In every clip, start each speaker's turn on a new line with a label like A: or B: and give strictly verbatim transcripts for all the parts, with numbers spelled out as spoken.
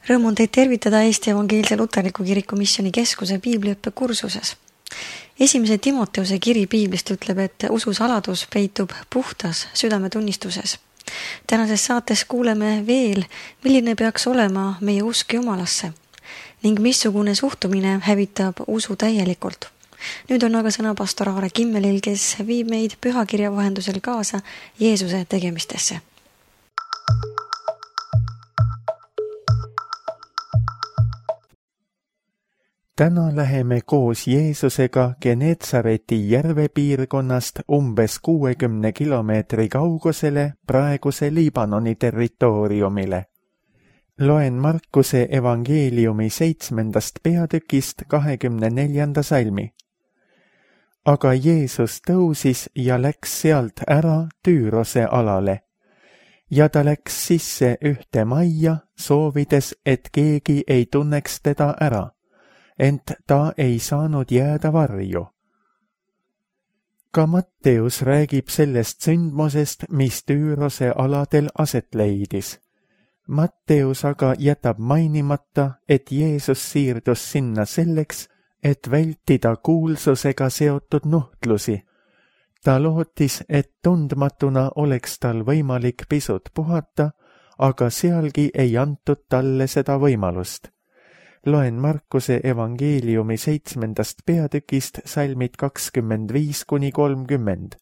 A: Rõõm on teid tervitada Eesti Evangeelse Luterliku Kiriku Missiooni Keskuse piibliõppe kursuses. Esimese Timoteuse kiri piiblist ütleb, et usu saladus peitub puhtas südametunnistuses. Tänases saates kuuleme veel, milline peaks olema meie usk Jumalasse ning missugune suhtumine hävitab usu täielikult. Nüüd on aga sõna pastor Aare Kimmelil, kes viib meid pühakirja vahendusel kaasa Jeesuse tegemistesse.
B: Täna läheme koos Jeesusega Genetsareti järve piirkonnast umbes kuuekümne kilomeetri kaugusele praeguse Liibanoni territooriumile. Loen Markuse evangeeliumi seitsmendast peatükist kahekümne neljanda salmi. Aga Jeesus tõusis ja läks sealt ära Tüürose alale. Ja ta läks sisse ühte majja, soovides, et keegi ei tunneks teda ära. Ent ta ei saanud jääda varju. Ka Matteus räägib sellest sündmusest, mis Tüürose aladel aset leidis. Matteus aga jätab mainimata, et Jeesus siirdus sinna selleks, et vältida kuulsusega seotud nuhtlusi. Ta lootis, et tundmatuna oleks tal võimalik pisut puhata, aga sealgi ei antud talle seda võimalust. Loen Markuse evangeeliumi seitsmendast peatükist salmid kakskümmend viis kuni kolmkümmend.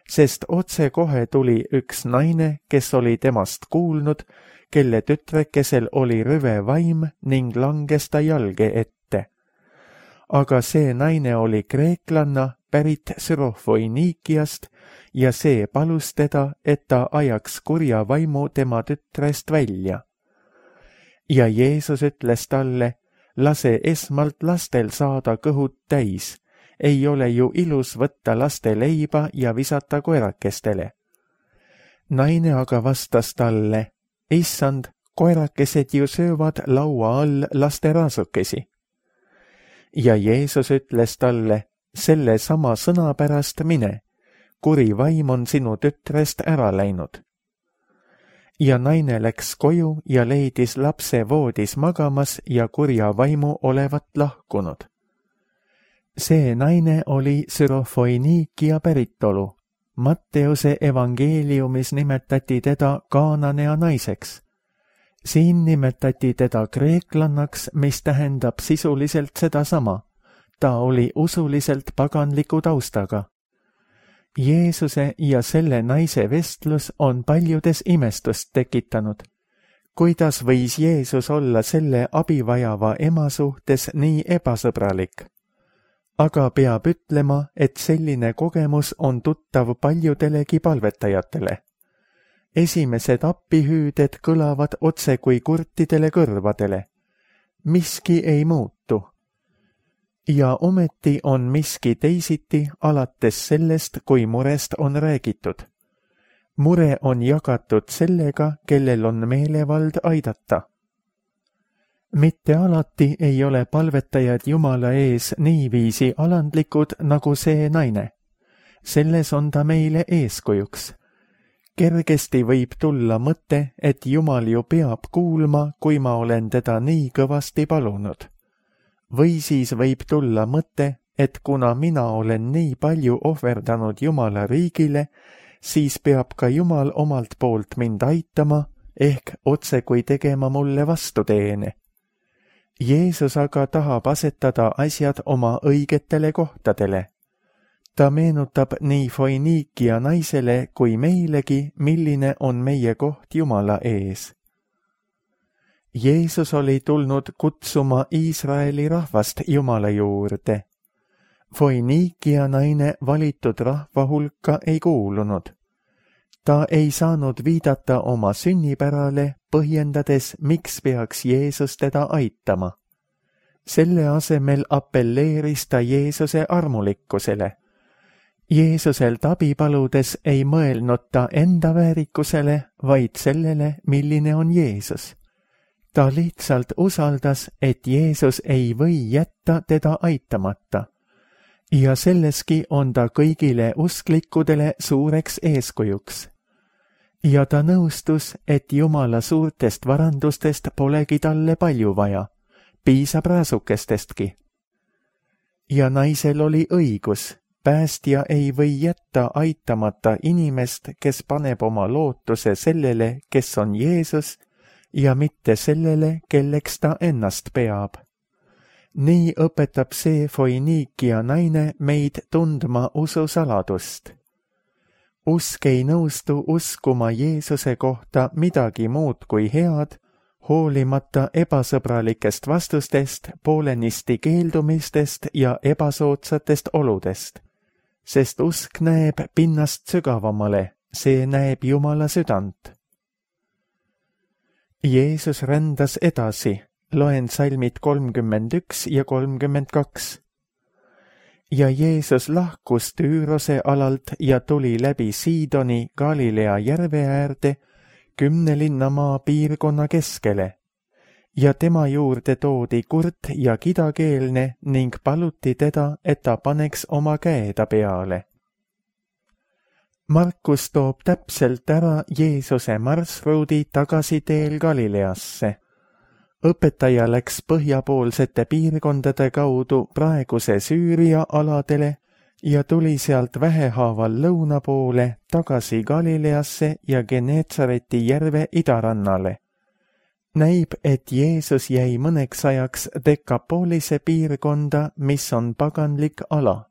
B: Sest otse kohe tuli üks naine, kes oli temast kuulnud, kelle tütrekesel oli rüve vaim ning langes ta jalge ette. Aga see naine oli kreeklanna pärit Syrofoiniikiast ja see palus teda, et ta ajaks kurja vaimu tema tütrest välja. Ja Jeesus ütles talle, lase esmalt lastel saada kõhud täis. Ei ole ju ilus võtta laste leiba ja visata koerakestele. Naine aga vastas talle, issand, koerakesed ju söövad laua all laste raasukesi. Ja Jeesus ütles talle, selle sama sõna pärast mine, kuri vaim on sinu tütrest ära läinud. Ja naine läks koju ja leidis lapse voodis magamas ja kurja vaimu olevat lahkunud. See naine oli Syrofoiniikia päritolu. Matteuse evangeeliumis nimetati teda Kaananea naiseks. Siin nimetati teda kreeklannaks, mis tähendab sisuliselt sedasama. Ta oli usuliselt paganliku taustaga. Jeesuse ja selle naise vestlus on paljudes imestust tekitanud. Kuidas võis Jeesus olla selle abivajava ema suhtes nii ebasõbralik? Aga peab ütlema, et selline kogemus on tuttav paljudelegi palvetajatele. Esimesed appihüüded kõlavad otse kui kurtidele kõrvadele. Miski ei muutu. Ja ometi on miski teisiti alates sellest, kui murest on räägitud. Mure on jagatud sellega, kellel on meelevald aidata. Mitte alati ei ole palvetajad Jumala ees niiviisi alandlikud nagu see naine. Selles on ta meile eeskujuks. Kergesti võib tulla mõte, et Jumal ju peab kuulma, kui ma olen teda nii kõvasti palunud. Või siis võib tulla mõte, et kuna mina olen nii palju ohverdanud Jumala riigile, siis peab ka Jumal omalt poolt mind aitama, ehk otse kui tegema mulle vastuteene. Jeesus aga tahab asetada asjad oma õigetele kohtadele. Ta meenutab nii Foiniikia naisele kui meilegi, milline on meie koht Jumala ees. Jeesus oli tulnud kutsuma Iisraeli rahvast Jumala juurde. Foiniikia naine valitud rahva hulka ei kuulunud. Ta ei saanud viidata oma sünnipärale, põhjendades, miks peaks Jeesus teda aitama. Selle asemel appelleeris ta Jeesuse armulikkusele. Jeesuselt abi paludes ei mõelnud ta enda väärikusele, vaid sellele, milline on Jeesus. Ta lihtsalt usaldas, et Jeesus ei või jätta teda aitamata. Ja selleski on ta kõigile usklikudele suureks eeskujuks. ja ta nõustus, et Jumala suurtest varandustest polegi talle palju vaja, piisab raasukestestki. Ja naisel oli õigus, päästja ei või jätta aitamata inimest, kes paneb oma lootuse sellele, kes on Jeesus, ja mitte sellele, kelleks ta ennast peab. Nii õpetab see Foiniikia naine meid tundma ususaladust. Usk ei nõustu uskuma Jeesuse kohta midagi muud kui head, hoolimata ebasõbralikest vastustest, poolenisti keeldumistest ja ebasoodsatest oludest, sest usk näeb pinnast sügavamale, see näeb Jumala südant. Jeesus rändas edasi, loen salmid kolmkümmend üks ja kolmkümmend kaks. Ja Jeesus lahkus Tüürose alalt ja tuli läbi Siidoni Galilea järve äärde kümne linnamaa piirkonna keskele, ja tema juurde toodi kurt ja kidakeelne ning paluti teda, et ta paneks oma käe ta peale. Markus toob täpselt ära Jeesuse marsruudi tagasi teel Galileasse. Õpetaja läks põhjapoolsete piirkondade kaudu praeguse Süüria aladele ja tuli sealt vähehaaval lõuna poole tagasi Galileasse ja Geneetsareti järve idarannale. Näib, et Jeesus jäi mõneks ajaks Dekapolise piirkonda, mis on paganlik ala.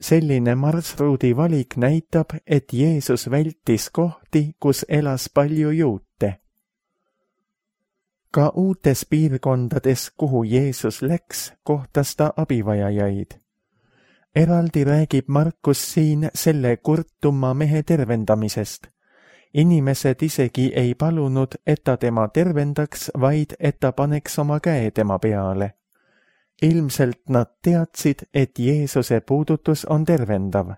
B: Selline marsruudi valik näitab, et Jeesus vältis kohti, kus elas palju juute. Ka uutes piirkondades, kuhu Jeesus läks, kohtas ta abivajajaid. Eraldi räägib Markus siin selle kurtuma mehe tervendamisest. Inimesed isegi ei palunud, et ta tema tervendaks, vaid et ta paneks oma käe tema peale. Ilmselt nad teadsid, et Jeesuse puudutus on tervendav.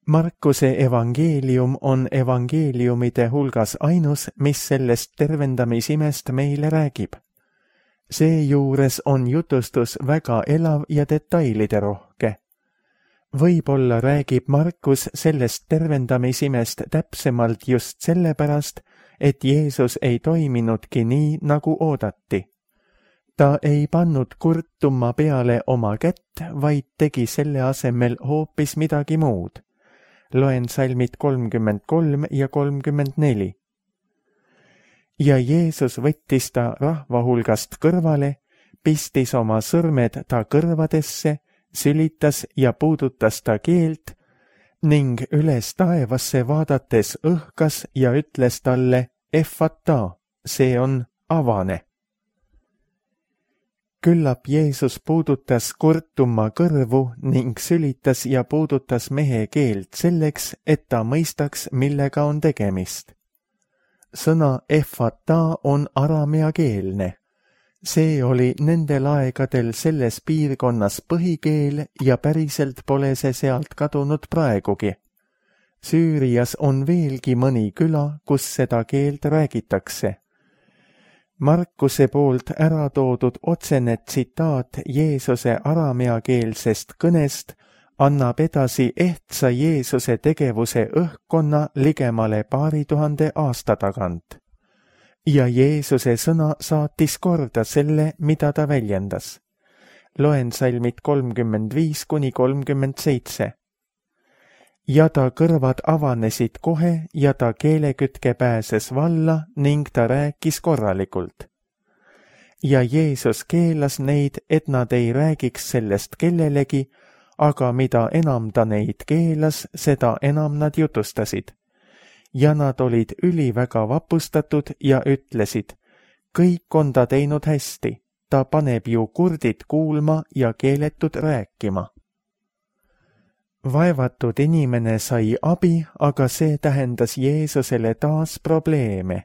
B: Markuse evangeelium on evangeeliumide hulgas ainus, mis sellest tervendamisimest meile räägib. Seejuures on jutustus väga elav ja detailide rohke. Võib-olla räägib Markus sellest tervendamisimest täpsemalt just sellepärast, et Jeesus ei toiminudki nii, nagu oodati. Ta ei pannud kurtuma peale oma kätt, vaid tegi selle asemel hoopis midagi muud. Loen salmid kolmkümmend kolm ja kolmkümmend neli. Ja Jeesus võttis ta rahva hulgast kõrvale, pistis oma sõrmed ta kõrvadesse, sülitas ja puudutas ta keelt ning üles taevasse vaadates õhkas ja ütles talle Effata, see on avane. Küllap Jeesus puudutas kurtuma kõrvu ning sülitas ja puudutas mehe keelt selleks, et ta mõistaks, millega on tegemist. Sõna Effata on arameakeelne. See oli nendel aegadel selles piirkonnas põhikeel ja päriselt pole see sealt kadunud praegugi. Süürias on veelgi mõni küla, kus seda keelt räägitakse. Markuse poolt ära toodud otsene tsitaat Jeesuse arameakeelsest kõnest annab edasi ehtsa Jeesuse tegevuse õhkkonna ligemale paari tuhande aasta tagant. Ja Jeesuse sõna saatis korda selle, mida ta väljendas. Loen salmid kolmkümmend viis kuni kolmkümmend seitse. Ja ta kõrvad avanesid kohe ja ta keelekütke pääses valla ning ta rääkis korralikult. Ja Jeesus keelas neid, et nad ei räägiks sellest kellelegi, aga mida enam ta neid keelas, seda enam nad jutustasid. Ja nad olid üliväga vapustatud ja ütlesid, kõik on ta teinud hästi, ta paneb ju kurdid kuulma ja keeletud rääkima. Vaevatud inimene sai abi, aga see tähendas Jeesusele taas probleeme.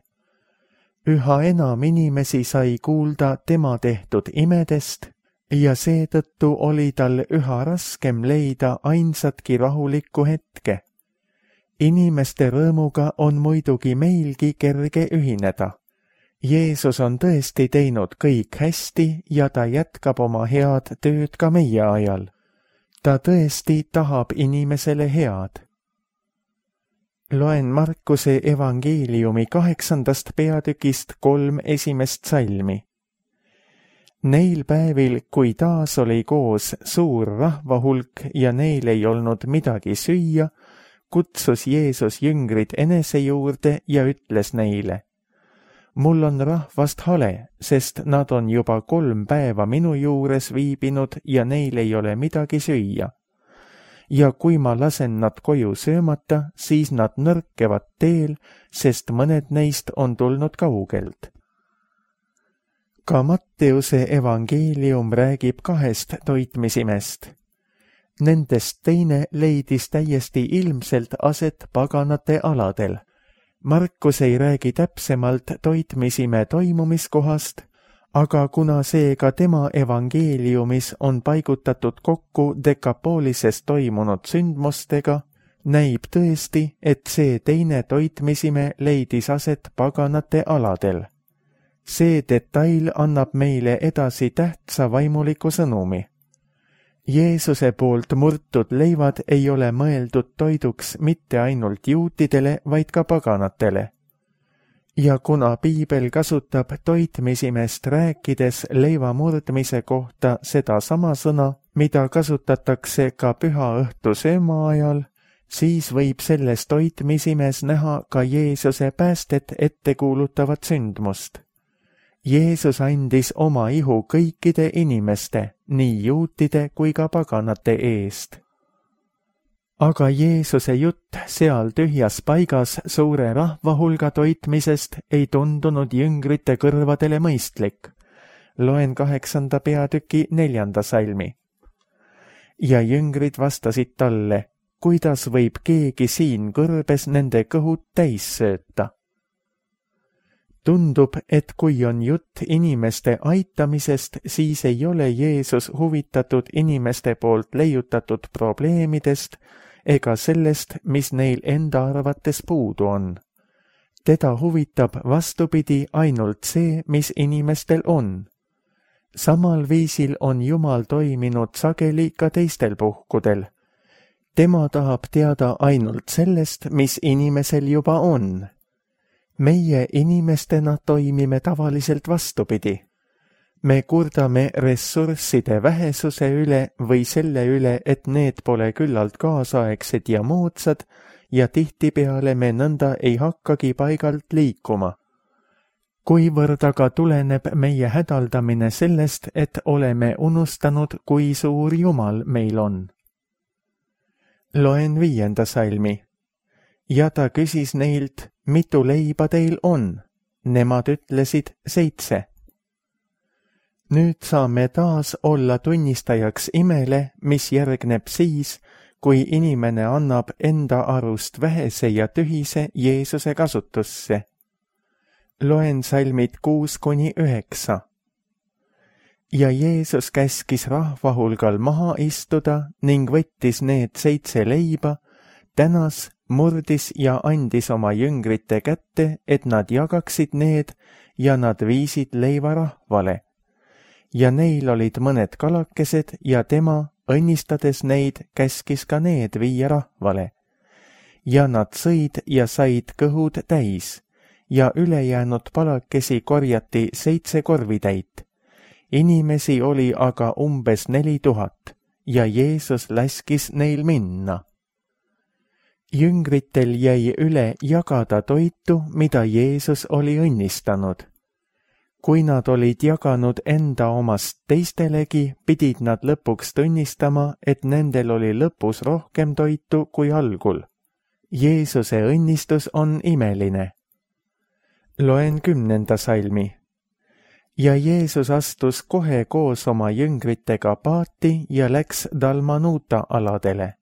B: Üha enam inimesi sai kuulda tema tehtud imedest ja seetõttu oli tal üha raskem leida ainsatki rahulikku hetke. Inimeste rõõmuga on muidugi meilgi kerge ühineda. Jeesus on tõesti teinud kõik hästi ja ta jätkab oma head tööd ka meie ajal. Ta tõesti tahab inimesele head. Loen Markuse evangeeliumi kaheksandast peatükist kolm esimest salmi. Neil päevil, kui taas oli koos suur rahvahulk ja neil ei olnud midagi süüa, kutsus Jeesus jüngrid enese juurde ja ütles neile: mul on rahvast hale, sest nad on juba kolm päeva minu juures viibinud ja neil ei ole midagi süüa. Ja kui ma lasen nad koju söömata, siis nad nõrkevad teel, sest mõned neist on tulnud kaugelt. Ka Matteuse evangeelium räägib kahest toitmisimest. Nendest teine leidis täiesti ilmselt aset paganate aladel. Markus ei räägi täpsemalt toitmisime toimumiskohast, aga kuna seega tema evangeeliumis on paigutatud kokku Dekapoolises toimunud sündmustega, näib tõesti, et see teine toitmisime leidis aset paganate aladel. See detail annab meile edasi tähtsa vaimuliku sõnumi. Jeesuse poolt murtud leivad ei ole mõeldud toiduks mitte ainult juutidele, vaid ka paganatele. Ja kuna piibel kasutab toitmisimest rääkides leiva murdmise kohta seda sama sõna, mida kasutatakse ka püha õhtu sööma ajal, siis võib selles toitmisimes näha ka Jeesuse päästet ette kuulutavat sündmust. Jeesus andis oma ihu kõikide inimeste, nii juutide kui ka paganate eest. Aga Jeesuse jutt seal tühjas paigas suure rahvahulga toitmisest ei tundunud jüngrite kõrvadele mõistlik. Loen kaheksanda peatüki neljanda salmi. Ja jüngrid vastasid talle: kuidas võib keegi siin kõrbes nende kõhud täis sööta? Tundub, et kui on jutt inimeste aitamisest, siis ei ole Jeesus huvitatud inimeste poolt leiutatud probleemidest ega sellest, mis neil enda arvates puudu on. Teda huvitab vastupidi ainult see, mis inimestel on. Samal viisil on Jumal toiminud sageli ka teistel puhkudel. Tema tahab teada ainult sellest, mis inimesel juba on. Meie inimestena toimime tavaliselt vastupidi. Me kurdame ressursside vähesuse üle või selle üle, et need pole küllalt kaasaegsed ja moodsad ja tihtipeale me nõnda ei hakkagi paigalt liikuma. Kuivõrd aga tuleneb meie hädaldamine sellest, et oleme unustanud, kui suur Jumal meil on. Loen viienda salmi. Ja ta küsis neilt, mitu leiba teil on? Nemad ütlesid seitse. Nüüd saame taas olla tunnistajaks imele, mis järgneb siis, kui inimene annab enda arust vähese ja tühise Jeesuse kasutusse. Loen salmid kuus kuni üheksa. Ja Jeesus käskis rahvahulgal maha istuda ning võttis need seitse leiba, tänas, murdis ja andis oma jüngrite kätte, et nad jagaksid need ja nad viisid leiva rahvale. Ja neil olid mõned kalakesed ja tema, õnnistades neid, käskis ka need viia rahvale. Ja nad sõid ja said kõhud täis ja ülejäänud palakesi korjati seitse korvitäit. Inimesi oli aga umbes neli tuhat ja Jeesus laskis neil minna. Jüngritel jäi üle jagada toitu, mida Jeesus oli õnnistanud. Kui nad olid jaganud enda omast teistelegi, pidid nad lõpuks tunnistama, et nendel oli lõpus rohkem toitu kui algul. Jeesuse õnnistus on imeline. Loen kümnenda salmi. Ja Jeesus astus kohe koos oma jüngritega paati ja läks Dalmanuta aladele.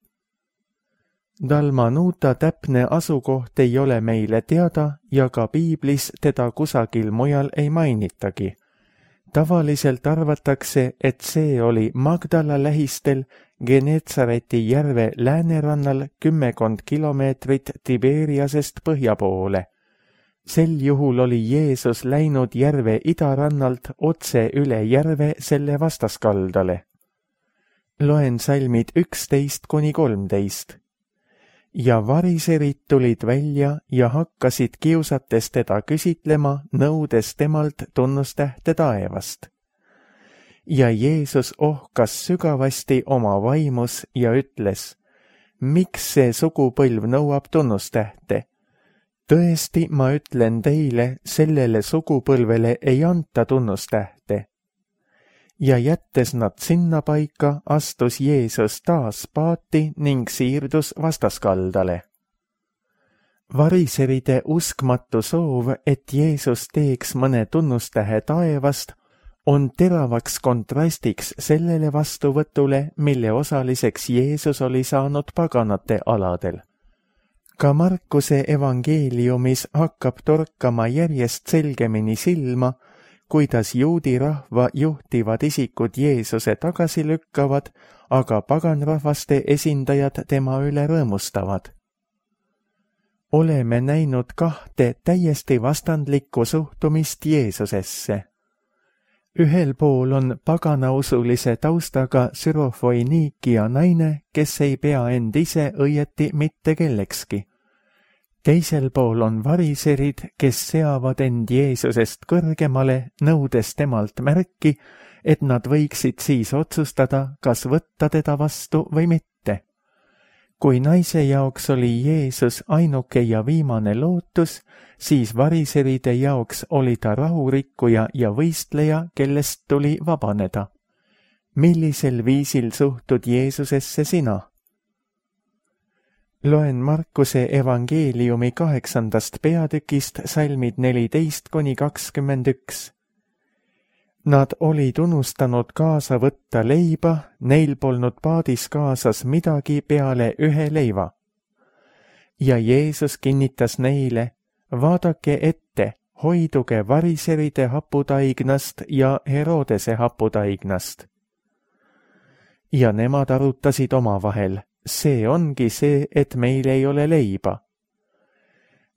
B: Dalmanuta täpne asukoht ei ole meile teada ja ka piiblis teda kusagil mujal ei mainitagi. Tavaliselt arvatakse, et see oli Magdala lähistel Genetsareti järve läänerannal kümmekond kilomeetrit Tiberiasest põhja poole. Sel juhul oli Jeesus läinud järve idarannalt otse üle järve selle vastaskaldale. Loen salmid üksteist kuni kolmteist. ja variserid tulid välja ja hakkasid kiusates teda küsitlema, nõudes temalt tunnustähte taevast. Ja Jeesus ohkas sügavasti oma vaimus ja ütles, miks see sugupõlv nõuab tunnustähte? Tõesti, ma ütlen teile, sellele sugupõlvele ei anta tunnustähte. Ja jättes nad sinna paika, astus Jeesus taas paati ning siirdus vastaskaldale. Variseride uskmatu soov, et Jeesus teeks mõne tunnustähe taevast, on teravaks kontrastiks sellele vastuvõtule, mille osaliseks Jeesus oli saanud paganate aladel. Ka Markuse evangeeliumis hakkab torkama järjest selgemini silma, kuidas juudi rahva juhtivad isikud Jeesuse tagasi lükkavad, aga paganrahvaste esindajad tema üle rõõmustavad. Oleme näinud kahte täiesti vastandlikku suhtumist Jeesusesse. Ühel pool on paganausulise taustaga Sürofoiniikia naine, kes ei pea end ise õieti mitte kellekski. Teisel pool on variserid, kes seavad end Jeesusest kõrgemale, nõudes temalt märki, et nad võiksid siis otsustada, kas võtta teda vastu või mitte. Kui naise jaoks oli Jeesus ainuke ja viimane lootus, siis variseride jaoks oli ta rahurikkuja ja võistleja, kellest tuli vabaneda. Millisel viisil suhtud Jeesusesse sina? Loen Markuse evangeeliumi kaheksandast peatükist salmid neliteist kuni kakskümmend üks. Nad olid unustanud kaasa võtta leiba, neil polnud paadis kaasas midagi peale ühe leiva. Ja Jeesus kinnitas neile, vaadake ette, hoiduge variseride haputaignast ja Herodese haputaignast. Ja nemad arutasid omavahel, see ongi see, et meil ei ole leiba.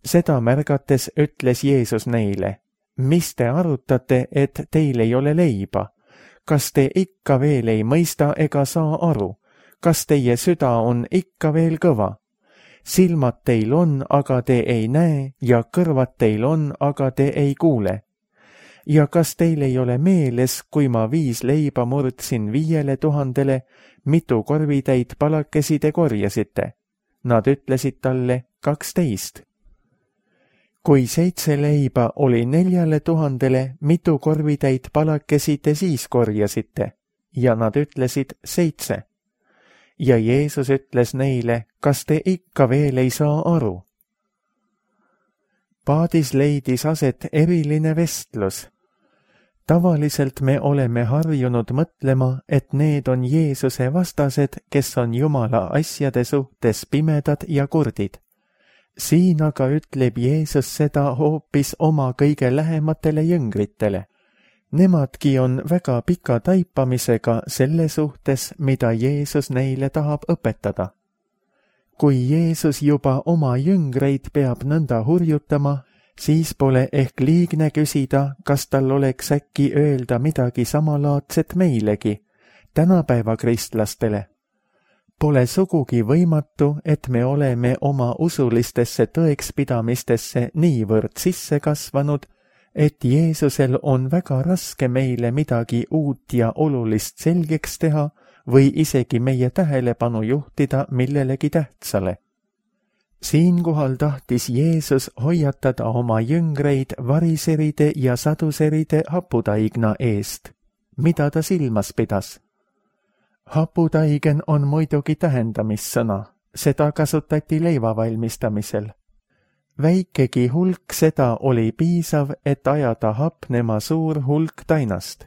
B: Seda märgates ütles Jeesus neile, mis te arutate, et teil ei ole leiba? Kas te ikka veel ei mõista ega saa aru? Kas teie süda on ikka veel kõva? Silmad teil on, aga te ei näe, ja kõrvad teil on, aga te ei kuule. Ja kas teil ei ole meeles, kui ma viis leiba murdsin viiele tuhandele, mitu korvitäit palakesi te korjasite? Nad ütlesid talle kaksteist. Kui seitse leiba oli neljale tuhandele, mitu korvitäit palakesi te siis korjasite? Ja nad ütlesid seitse. Ja Jeesus ütles neile, kas te ikka veel ei saa aru? Paadis leidis aset eriline vestlus. Tavaliselt me oleme harjunud mõtlema, et need on Jeesuse vastased, kes on Jumala asjade suhtes pimedad ja kurdid. Siin aga ütleb Jeesus seda hoopis oma kõige lähematele jüngritele. Nemadki on väga pika taipamisega selle suhtes, mida Jeesus neile tahab õpetada. Kui Jeesus juba oma jüngreid peab nõnda hurjutama, siis pole ehk liigne küsida, kas tal oleks äkki öelda midagi samalaadset meilegi, tänapäeva kristlastele. Pole sugugi võimatu, et me oleme oma usulistesse tõekspidamistesse niivõrd sisse kasvanud, et Jeesusel on väga raske meile midagi uut ja olulist selgeks teha või isegi meie tähelepanu juhtida millelegi tähtsale. Siinkohal tahtis Jeesus hoiatada oma jüngreid variseride ja saduseride haputaigna eest. Mida ta silmas pidas? Haputaigen on muidugi tähendamissõna, seda kasutati leiva valmistamisel. Väikegi hulk seda oli piisav, et ajada hapnema suur hulk tainast.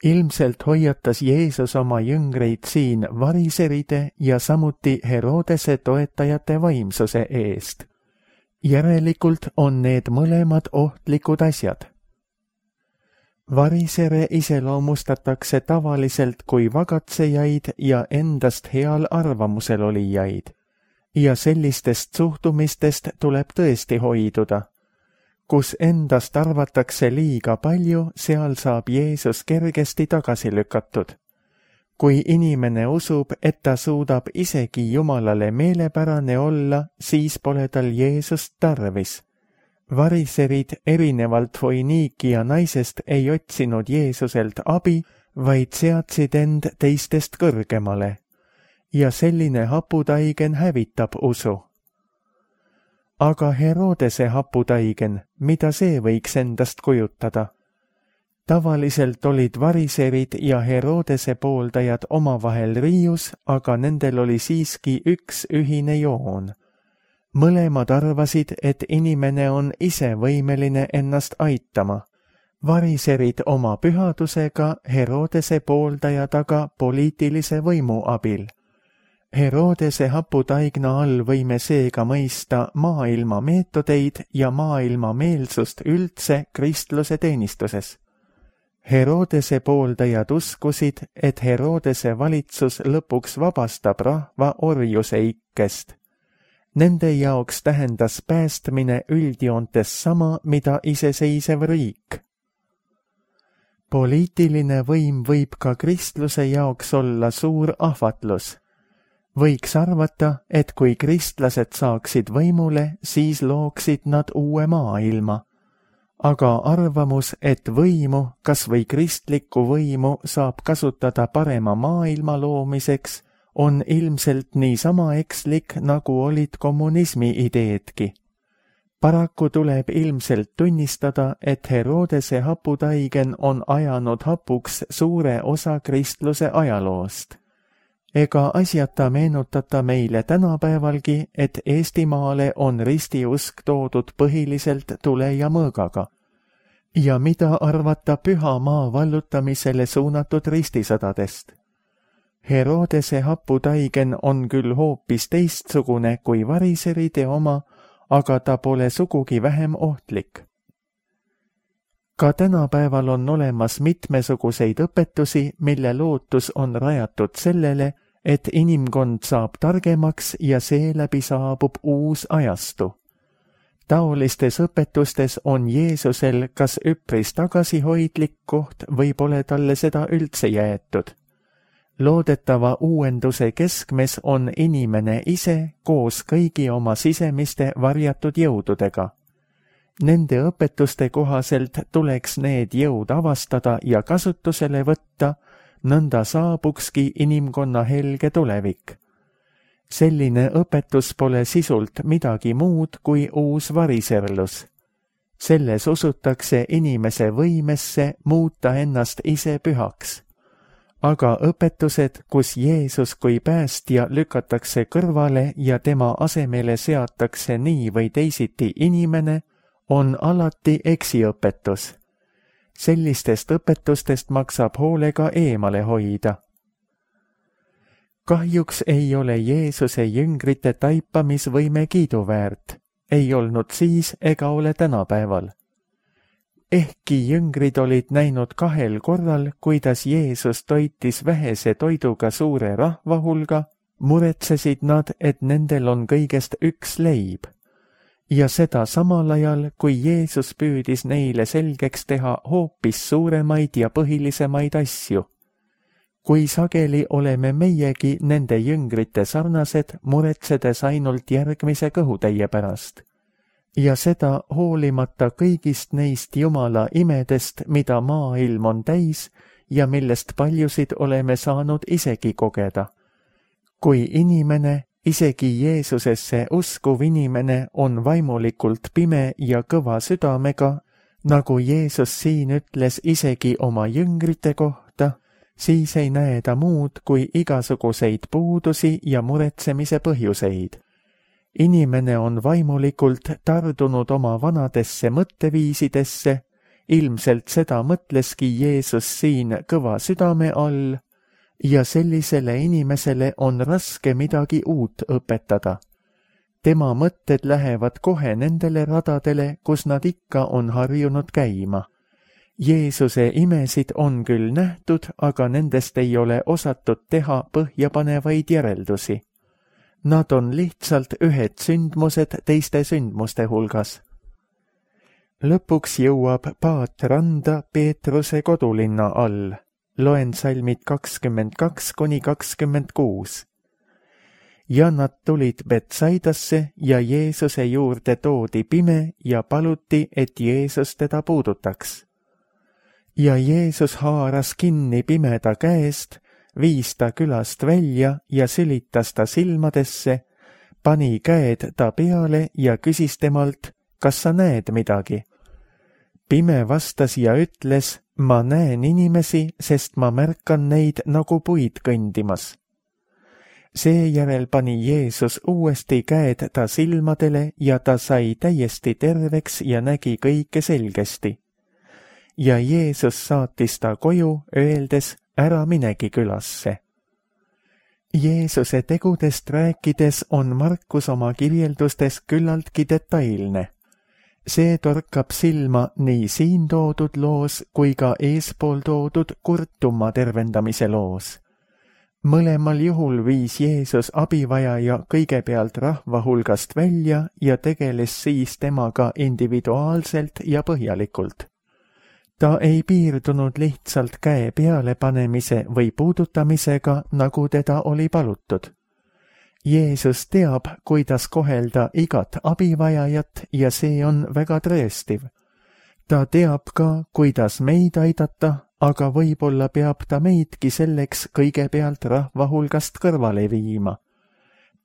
B: Ilmselt hoiatas Jeesus oma jüngreid siin variseride ja samuti Herodese toetajate vaimsuse eest. Järelikult on need mõlemad ohtlikud asjad. Varisere iseloomustatakse tavaliselt kui vagatsejaid ja endast heal arvamusel olijaid. Ja sellistest suhtumistest tuleb tõesti hoiduda. Kus endast arvatakse liiga palju, seal saab Jeesus kergesti tagasi lükatud. Kui inimene usub, et ta suudab isegi Jumalale meelepärane olla, siis pole tal Jeesust tarvis. Variserid erinevalt Foiniikia naisest ei otsinud Jeesuselt abi, vaid seadsid end teistest kõrgemale. Ja selline haputaigen hävitab usu. Aga Herodese haputaigen, mida see võiks endast kujutada? Tavaliselt olid variserid ja Herodese pooldajad omavahel riius, aga nendel oli siiski üks ühine joon. Mõlemad arvasid, et inimene on ise võimeline ennast aitama. Variserid oma pühadusega, Herodese pooldajad aga poliitilise võimu abil. Herodese haputaigna all võime seega mõista maailma meetodeid ja maailma meelsust üldse kristluse teenistuses. Herodese pooldajad uskusid, et Herodese valitsus lõpuks vabastab rahva orjuse ikkest. Nende jaoks tähendas päästmine üldjoontes sama, mida iseseisev riik. Poliitiline võim võib ka kristluse jaoks olla suur ahvatlus. Võiks arvata, et kui kristlased saaksid võimule, siis looksid nad uue maailma. Aga arvamus, et võimu, kas või kristlikku võimu saab kasutada parema maailma loomiseks, on ilmselt niisama ekslik, nagu olid kommunismi ideedki. Paraku tuleb ilmselt tunnistada, et Herodese haputaigen on ajanud hapuks suure osa kristluse ajaloost. Ega asjata meenutata meile tänapäevalgi, et Eestimaale on ristiusk toodud põhiliselt tule ja mõõgaga. Ja mida arvata püha maa vallutamisele suunatud ristisõdadest? Herodese haputaigen on küll hoopis teistsugune kui variseride oma, aga ta pole sugugi vähem ohtlik. Ka tänapäeval on olemas mitmesuguseid õpetusi, mille lootus on rajatud sellele, et inimkond saab targemaks ja seeläbi saabub uus ajastu. Taolistes õpetustes on Jeesusel kas üpris tagasihoidlik koht või pole talle seda üldse jäetud. Loodetava uuenduse keskmes on inimene ise koos kõigi oma sisemiste varjatud jõududega. Nende õpetuste kohaselt tuleks need jõud avastada ja kasutusele võtta, nõnda saabukski inimkonna helge tulevik. Selline õpetus pole sisult midagi muud kui uus variserlus. Selles usutakse inimese võimesse muuta ennast ise pühaks. Aga õpetused, kus Jeesus kui päästja lükatakse kõrvale ja tema asemele seatakse nii või teisiti inimene, on alati eksiõpetus. Sellistest õpetustest maksab hoolega eemale hoida. Kahjuks ei ole Jeesuse jüngrite taipamisvõime kiiduväärt, ei olnud siis ega ole tänapäeval. Ehkki jüngrid olid näinud kahel korral, kuidas Jeesus toitis vähese toiduga suure rahva hulga, muretsesid nad, et nendel on kõigest üks leib. Ja seda samal ajal, kui Jeesus püüdis neile selgeks teha hoopis suuremaid ja põhilisemaid asju. Kui sageli oleme meiegi nende jüngrite sarnased, muretsedes ainult järgmise kõhutäie pärast. Ja seda hoolimata kõigist neist Jumala imedest, mida maailm on täis ja millest paljusid oleme saanud isegi kogeda. Kui inimene, isegi Jeesusesse uskuv inimene on vaimulikult pime ja kõva südamega, nagu Jeesus siin ütles isegi oma jüngrite kohta, siis ei näe ta muud kui igasuguseid puudusi ja muretsemise põhjuseid. Inimene on vaimulikult tardunud oma vanadesse mõtteviisidesse, ilmselt seda mõtleski Jeesus siin kõva südame all, ja sellisele inimesele on raske midagi uut õpetada. Tema mõtted lähevad kohe nendele radadele, kus nad ikka on harjunud käima. Jeesuse imesid on küll nähtud, aga nendest ei ole osatud teha põhjapanevaid järeldusi. Nad on lihtsalt ühed sündmused teiste sündmuste hulgas. Lõpuks jõuab paat randa Peetruse kodulinna all. loen salmid kakskümmend kaks kuni kakskümmend kuus. Ja nad tulid Betsaidasse ja Jeesuse juurde toodi pime ja paluti, et Jeesus teda puudutaks. Ja Jeesus haaras kinni pimeda käest, viis ta külast välja ja sülitas ta silmadesse, pani käed ta peale ja küsis temalt, kas sa näed midagi? Pime vastas ja ütles, ma näen inimesi, sest ma märkan neid nagu puid kõndimas. Seejärel pani Jeesus uuesti käed ta silmadele ja ta sai täiesti terveks ja nägi kõike selgesti. Ja Jeesus saatis ta koju, öeldes, ära minegi külasse. Jeesuse tegudest rääkides on Markus oma kirjeldustes küllaltki detailne. See torkab silma nii siin toodud loos kui ka eespool toodud kurtuma tervendamise loos. Mõlemal juhul viis Jeesus abivajaja kõigepealt rahva hulgast välja ja tegeles siis temaga individuaalselt ja põhjalikult. Ta ei piirdunud lihtsalt käe peale panemise või puudutamisega, nagu teda oli palutud. Jeesus teab, kuidas kohelda igat abivajajat ja see on väga trööstiv. Ta teab ka, kuidas meid aidata, aga võib-olla peab ta meidki selleks kõigepealt rahva hulgast kõrvale viima.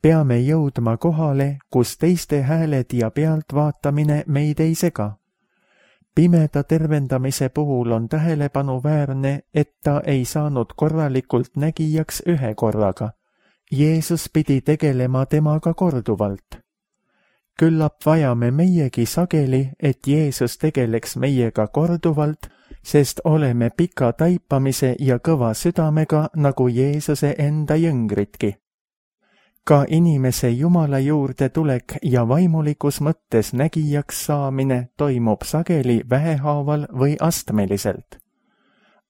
B: Peame jõudma kohale, kus teiste hääled ja pealtvaatamine meid ei sega. Pimeda tervendamise puhul on tähelepanuväärne, et ta ei saanud korralikult nägijaks ühe korraga. Jeesus pidi tegelema temaga korduvalt. Küllap vajame meiegi sageli, et Jeesus tegeleks meiega korduvalt, sest oleme pika taipamise ja kõva südamega nagu Jeesuse enda jüngritki. Ka inimese Jumala juurde tulek ja vaimulikus mõttes nägijaks saamine toimub sageli vähehaaval või astmeliselt.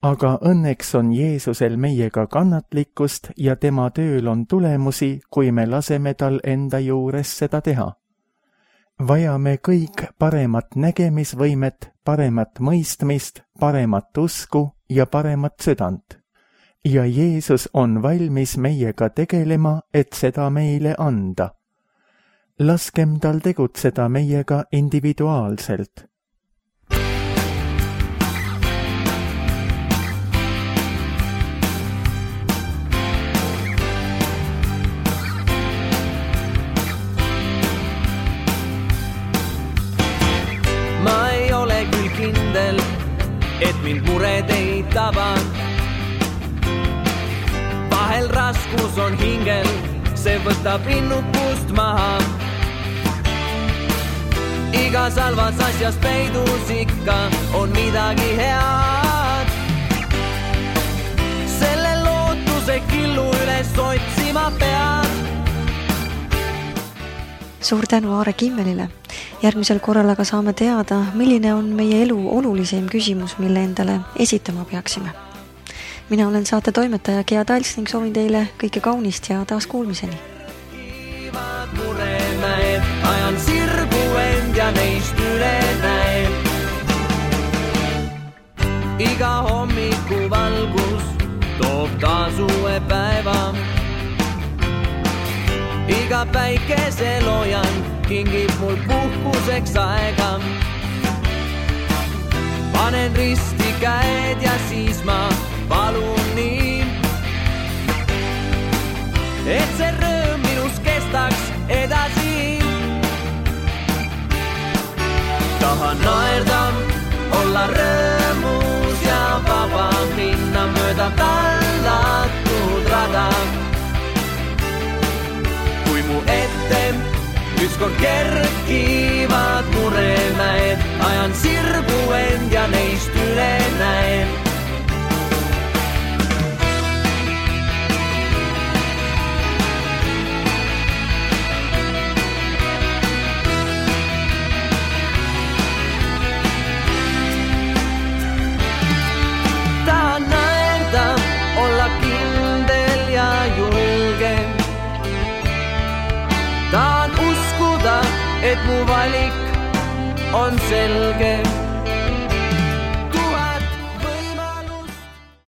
B: Aga õnneks on Jeesusel meiega kannatlikkust ja tema tööl on tulemusi, kui me laseme tal enda juures seda teha. Vajame kõik paremat nägemisvõimet, paremat mõistmist, paremat usku ja paremat südant. Ja Jeesus on valmis meiega tegelema, et seda meile anda. Laskem tal tegutseda meiega individuaalselt.
C: Ma ei ole küll kindel, et mind mured ei taba. Vahel raskus on hingel, see võtab innukust maha. Igas halvas asjas peidus ikka on midagi head. Selle lootuse killu üles otsima pead.
A: Suur tänu Aare Kimmelile. Järgmisel korral aga saame teada, milline on meie elu olulisim küsimus, mille endale esitama peaksime. Mina olen saate toimetaja Gea Tals ning soovin teile kõike kaunist ja taas kuulmiseni.
C: Ajan sirgu end ja neist üle näen. Iga hommiku valgus toob taas uue päeva. Iga päikeseloojan kingib mul puhkuseks aega. Panen risti käed ja siis ma palun nii, et see rõõm minus kestaks edasi. Tahan naerda, olla rõõmus ja vaba, minna mööda tallatud rada. Kui mu ette ükskord kerkivad muremäed, ajan sirgu end ja neist üle näen. Et mu valik on selge.